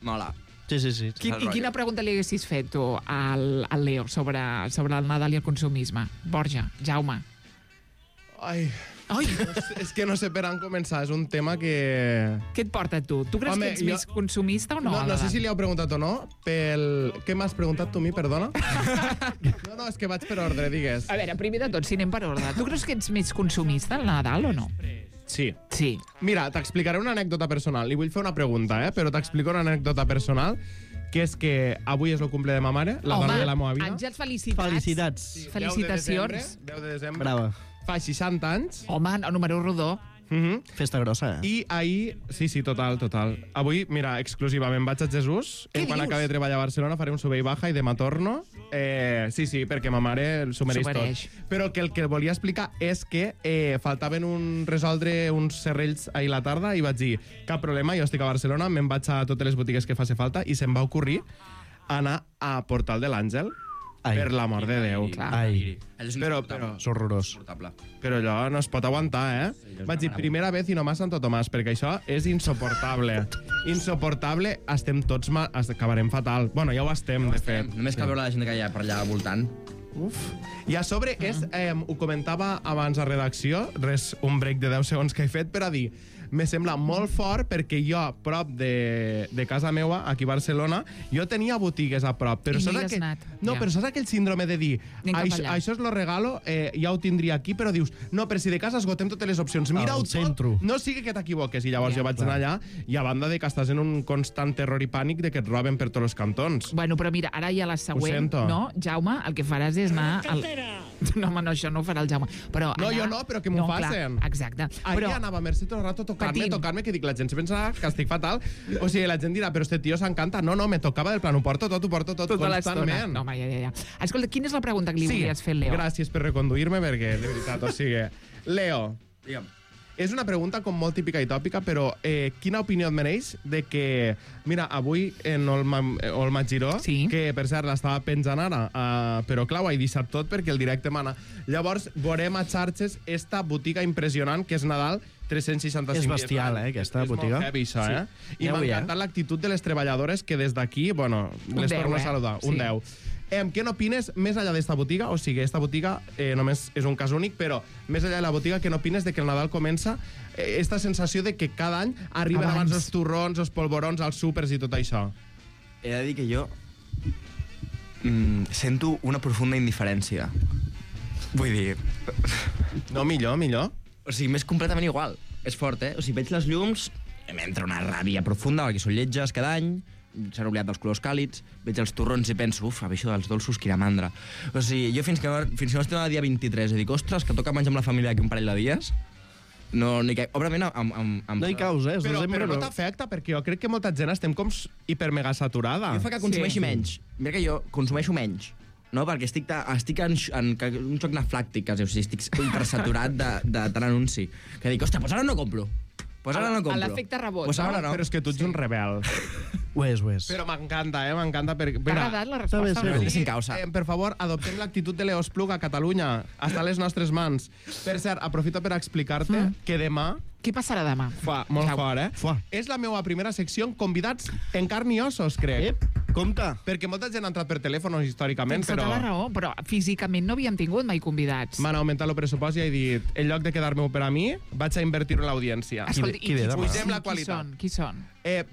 Mola. sí. I quina pregunta li haguessis fet tu al Leo sobre el Nadal i el consumisme? Borja, Jaume. Ai, és que no sé per on començar, és un tema que... Què et porta tu? Tu creus que ets més consumista o no? No sé si li heu preguntat o no, Què m'has preguntat tu a mi, perdona? No, és que vaig per ordre, digues. A veure, primer de tot, si anem per ordre, tu creus que ets més consumista al Nadal o no? Sí. Sí. Mira, t'explicaré una anècdota personal. Li vull fer una pregunta, però t'explico una anècdota personal, que és que avui és el cumple de ma mare, la dona de la meva vida. Àngels, felicitats. Felicitats. Felicitacions. 10 de desembre. Brava. Fa 60 anys. Home, el número rodó. Festa grossa, I ahir... Sí, total. Avui, mira, exclusivament vaig a Jesús. Quan acabi de treballar a Barcelona faré un sube i baja i demà torno. Sí, perquè ma mare s'ho mereix tot. Però que el que volia explicar és que faltaven resoldre uns serrells ahir a la tarda i vaig dir, cap problema, jo estic a Barcelona, me'n vaig a totes les botigues que faci falta i se'm va ocorrir anar a Portal de l'Àngel. Per l'amor de Déu. Ai. Però és horrorós. Però allò no es pot aguantar, Vaig dir, primera vez i no más Santo Tomàs, perquè això és insoportable. Insoportable, estem tots mal, acabarem fatal. Bueno, ja ho estem, de fet. Només cal veure la gent que hi ha per allà voltant. I a sobre, ho comentava abans a redacció, un break de 10 segons que he fet per a dir, me sembla molt fort perquè jo, a prop de casa meua, aquí a Barcelona, jo tenia botigues a prop. Però I no saps hi has anat. No, però saps aquell síndrome de dir, això és lo regalo, ja ho tindria aquí, però dius, no, però si de casa esgotem totes les opcions, mira-ho tot, no sigui que t'equivoques. I llavors jo vaig anar allà, i a banda de que estàs en un constant terror i pànic de que et roben per tots els cantons. Bueno, però mira, ara ja la següent, no? Jaume, el que faràs és anar... No, home, no, això no ho farà el Jaume. Però no, jo no, però que m'ho facin. Exacte. Ahir anava a Mercè tot el rato tocar-me, que dic, la gent se pensa que estic fatal. O sigui, la gent dirà, però este tio s'encanta. No, me tocava del plan, ho porto tot constantment. No, home, ja. Escolta, quina és la pregunta que li volies fer al Leo? Gràcies per reconduir-me, perquè, de veritat, o sigui... Leo, digue'm. És una pregunta com molt típica i tòpica, però quina opinió et mereix de que... Mira, avui en Olma Giró, que per cert l'estava penjant ara, però clar, ho he deixat tot perquè el directe mana. Llavors, veurem a xarxes esta botiga impressionant que és Nadal 365 dies. És bestial, aquesta botiga. És molt heavy, això, I m'ha encantat l'actitud de les treballadores que des d'aquí, bueno, les torno a saludar. Un 10. Què n'opines més enllà d'esta botiga? O sigui, esta botiga només és un cas únic, però més enllà de la botiga, què n'opines de que el Nadal comença esta sensació de que cada any arriben abans els turrons, els polvorons, els súpers i tot això? He de dir que jo sento una profunda indiferència. Vull dir... No, millor. O sigui, m'és completament igual. És fort, O sigui, veig les llums, m'entra una ràbia profunda, perquè són lletges cada any, s'han oblidat dels colors càlids, veig els torrons i penso, això dels dolços, quina mandra. O sigui, jo fins que no estem al dia 23 i dic, ostres, que toca menjar amb la família aquí un parell de dies, no hi caic. Òbviament, no hi caus, Però no t'afecta, perquè jo crec que molta gent estem com hipermega saturada. Jo fa que consumeixi menys. Mira que jo consumeixo menys. No, perquè estic en un xoc anaflàctic, quasi. O sigui, estic hipersaturat de tant anunci. Que dic, ostres, doncs ara no compro. Pues ara no compro. L'efecte rebot, Pues ara no. Però és que tu ets un rebel. Ho és, ho és. Però m'encanta, m'encanta. T'ha agradat la resposta? Està bé, Sin causa. Per favor, adoptem l'actitud de Leo Espluga a Catalunya. Està a les nostres mans. Per cert, aprofito per explicar-te que demà... Què passarà demà? Molt fort, És la meva primera secció amb convidats en carn i ossos, crec. Compte. Perquè molta gent ha entrat per telèfon històricament, Tens tota la raó, però físicament no havíem tingut mai convidats. M'han augmentat el pressupost i he dit, en lloc de quedar-me-ho per a mi, vaig a invertir-ho en l'audiència. Escolta, Qui ve demà? Pugem la qualitat. Qui són?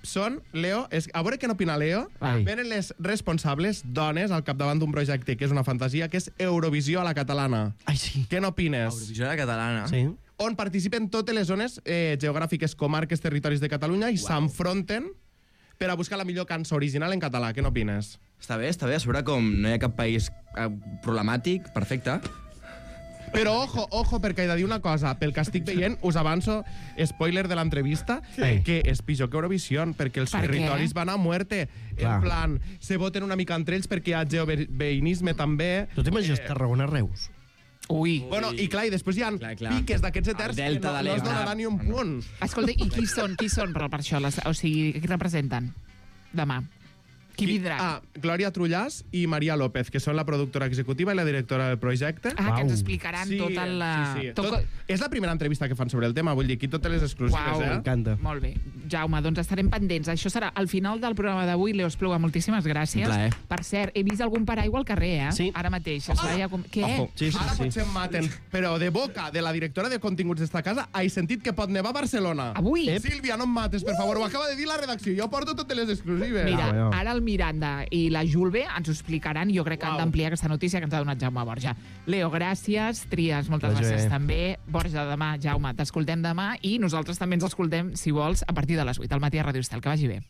Són, Leo, a veure què n'opina Leo, venen les responsables, dones, al capdavant d'un projecte que és una fantasia, que és Eurovisió a la catalana. Ai, sí. Què n'opines? Eurovisió a la catalana. Sí. On participen totes les zones geogràfiques, comarques, territoris de Catalunya i s'enfronten per a buscar la millor cançó original en català. Què n'opines? Està bé. A sobre com no hi ha cap país problemàtic, perfecte. Però ojo, perquè he de dir una cosa. Pel que estic veient, us avanço, spoiler de l'entrevista, que és pitjor que Eurovisió, perquè els territoris van a muerte. En plan, se voten una mica entre ells perquè hi ha geoveïnisme també. Tu t'imagines Tarragona-Reus? Ui. Bueno, i clar, i després hi ha piques d'aquests eterns que no es donarà ni un punt. Escolta, i qui són per això? O sigui, qui representen demà? Qui vindrà? Glòria Trullàs i Maria López, que són la productora executiva i la directora del projecte. Que ens explicaran tota la... És la primera entrevista que fan sobre el tema, vull dir, aquí totes les exclusives, M'encanta. Molt bé. Jaume, doncs estarem pendents. Això serà al final del programa d'avui. Leo Espluga, moltíssimes gràcies. Per cert, he vist algun paraigua al carrer, Sí. Ara mateix. Què? Ara potser em maten, però de boca de la directora de continguts d'esta casa he sentit que pot nevar a Barcelona. Avui? Sílvia, no em mates, per favor, ho acaba de dir la redacció. Jo porto totes les exclusives. Mira, ara el Miranda i la Julve ens ho explicaran. Jo crec que han d'ampliar aquesta notícia que ens ha donat Jaume Borja. Leo, gràcies. Trias, moltes gràcies també. Borja, demà, Jaume, t'escoltem demà i nosaltres també ens escoltem, si vols, a partir de les 8 al matí a Ràdio Estel. Que vagi bé.